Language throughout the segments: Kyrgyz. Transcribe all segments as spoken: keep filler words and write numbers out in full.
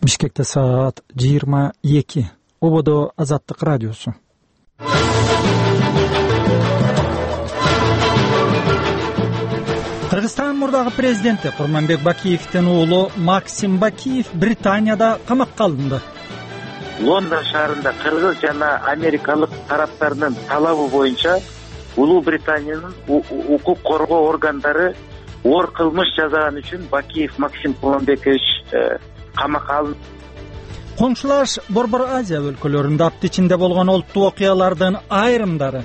Бишкекте саат жыйырма эки. Ободо Азаттык радиосу. Кыргызстан мурдагы президенти Курманбек Бакиевдин уулу Максим Бакиев Британияда камакка алынды. Лондон шаарында кыргыз жана америкалык тараптарынын талабы боюнча Улуу Британиянын укук коргоо органдары оор кылмыш жасаган үчүн Бакиев Максим Курманбекович камакка алынды. Коңшулаш Борбор Азия өлкөлөрүндө апта ичинде болгон олуттуу окуялардын айрымдары.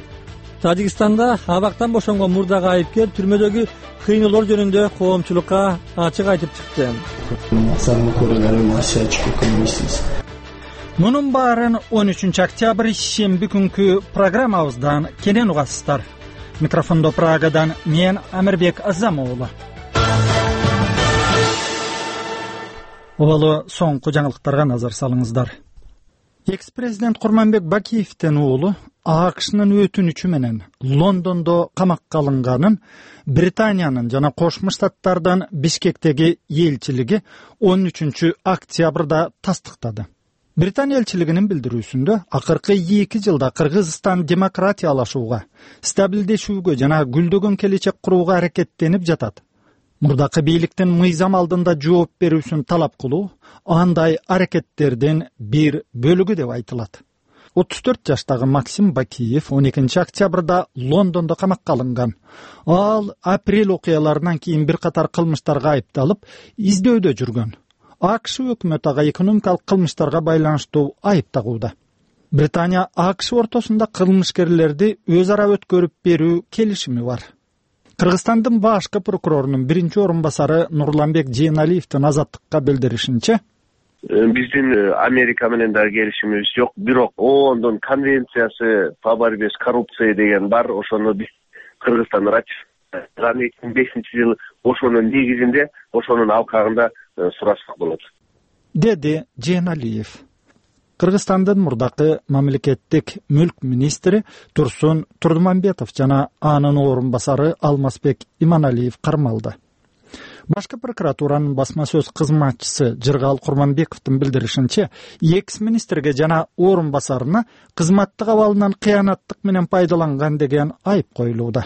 Тажикстанда абактан бошонгон мурдагы айыпкер түрмөдөгү кыйноолор жөнүндө коомчулукка ачык айтып чыкты. Мунун баарын он үчүнчү октябрь шемби күнкү программабыздан кенен угасыздар. Микрофондо Прагадан мен Амирбек Азам уулу. Обалы соңку жаңылыктарга назар салыңыздар. Экс-президент Курманбек Бакиевдин уулу АКШнын өтүнүчү менен Лондондо камакка алынганын Британиянын жана Кошмо Штаттардын Бишкектеги элчилиги он үчүнчү октябрда тастыктады. Британия элчилигинин билдирүүсүндө акыркы эки жылда Кыргызстан демократиялашууга, стабилдешүүгө жана гүлдөгөн келечек курууга аракеттенип жатат. Мурдакы бийликтин мыйзам алдында жооп берүүсүн талап кылуу андай аракеттердин бир бөлүгү деп айтылат. отуз төрт жаштагы Максим Бакиев он экинчи октябрда Лондондо камакка алынган. Ал апрель окуяларынан кийин бир катар кылмыштарга айыпталып, издөдө жүргөн. АКШ өкмөтү ага экономикалык кылмыштарга байланыштуу айып тагууда. Британия АКШ ортосунда кылмышкерлерди өз ара өткөрүп берүү келишими бар. Кыргызстандын башкы прокурорунун биринчи орун басары Нурланбек Жээналиевдин Азаттыкка билдиришинче, биздин Америка менен дагы келишимибиз жок, бирок ООНдун конвенциясы по борьбе с коррупцией деген бар, ошону биз Кыргызстан ратификациялаган эки миң бешинчи жылы, ошонун негизинде, ошонун алкагында сурашсак болот, деди Жээналиев. Кыргызстандын мурдакы мамлекеттик мүлк министри Турсун Турдумамбетов жана анын орун басары Алмазбек Иманалиев кармалды. Башкы прокуратуранын басма сөз кызматчысы Жыргал Курманбековдун билдиришинче, экс-министрге жана орун басарына кызматтык абалынан кыянаттык менен пайдаланган деген айып коюлууда.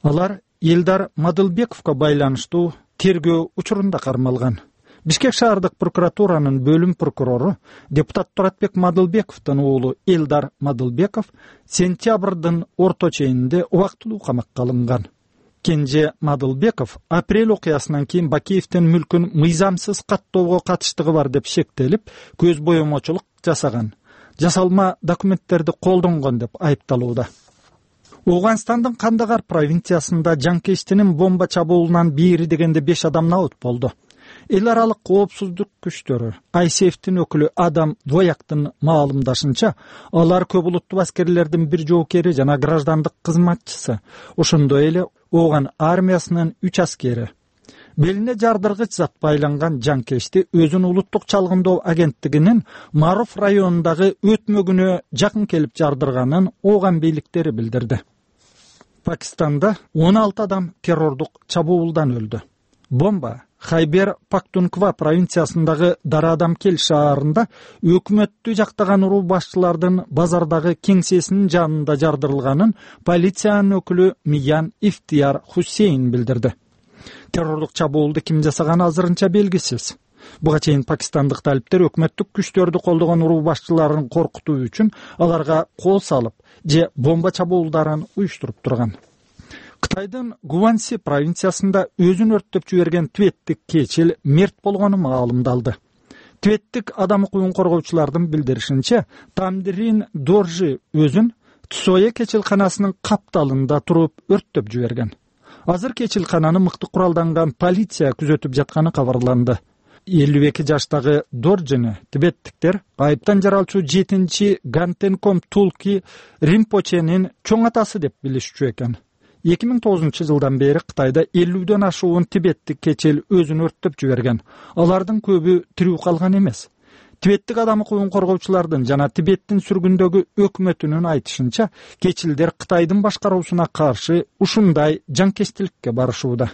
Алар Элдар Мадылбековго байланыштуу тергөө учурунда кармалган. Бишкек шаардык прокуратуранын бөлүм прокурору депутат Туратбек Мадылбековдун уулу Элдар Мадылбеков сентябрдын орто чейинде убактылуу камакка алынган. Кенже Мадылбеков апрель окуясынан кийин Бакиевдин мүлкүн мыйзамсыз каттоого катыштыгы бар деп шектелип, көз боемочулук жасаган, жасалма документтерди колдонгон деп айыпталууда. Ооганстандын Кандагар провинциясында жанкечтинин бомба чабуулунан бери дегенде беш адам набыт болду. Эл аралык коопсуздук күчтөрү ай эс эфтин өкүлү Адам Двояктын маалымдашынча, алар көп улуттуу аскерлердин бир жоокери жана граждандык кызматчысы, ошондой эле Ооган армиясынын үч аскери. Белине жардыргыч зат байланган жанкечти өзүнүн улуттук чалгындоо агенттигинин Маруф районундагы өтмөгүнө жакын келип жардырганын Ооган бийликтери билдирди. Пакистанда он алты адам террордук чабуулдан өлдү. Бомба Хайбер Пактунква провинциясындагы Дараадам-Кел шаарында өкмөттү жактаган уруу башчылардын базардагы кеңсесинин жанында жардырылганын полициянын өкүлү Миян Ифтияр Хусейн билдирди. Террордук чабуулду ким жасаганы азырынча белгисиз. Буга чейин пакистандык талиптер өкмөттүк күчтөрдү колдогон уруу башчыларын коркутуу үчүн аларга кол салып же бомба чабуулдарын уюштуруп турган. Кытайдын Гуанси провинциясында өзүн өрттөп жиберген тибеттик кечил мерт болгону маалымдалды. Тибеттик адам укугун коргоочулардын билдиришинче, Тамдрин Доржи өзүн Тсое кечилканасынын капталында туруп өрттөп жиберген. Азыр кечилкананы мыкты куралданган полиция күзөтүп жатканы кабарланды. элүү эки жаштагы Доржини тибеттиктер айыптан жаралчу жетинчи Гантенком Тулки Римпоченин чоң атасы деп билишчү экен. эки миң тогузунчу жылдан бери Кытайда элүүдөн ашуун тибеттик кечил өзүн өрттөп жиберген. Алардын көбү тирүү калган эмес. Тибеттик адам укугун коргоочулардын жана Тибеттин сүргүндөгү өкмөтүнүн айтышынча, кечилдер Кытайдын башкаруусуна каршы ушундай жанкечтиликке барышууда.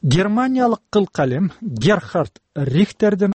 Германиялык кыл калем Герхард Рихтердин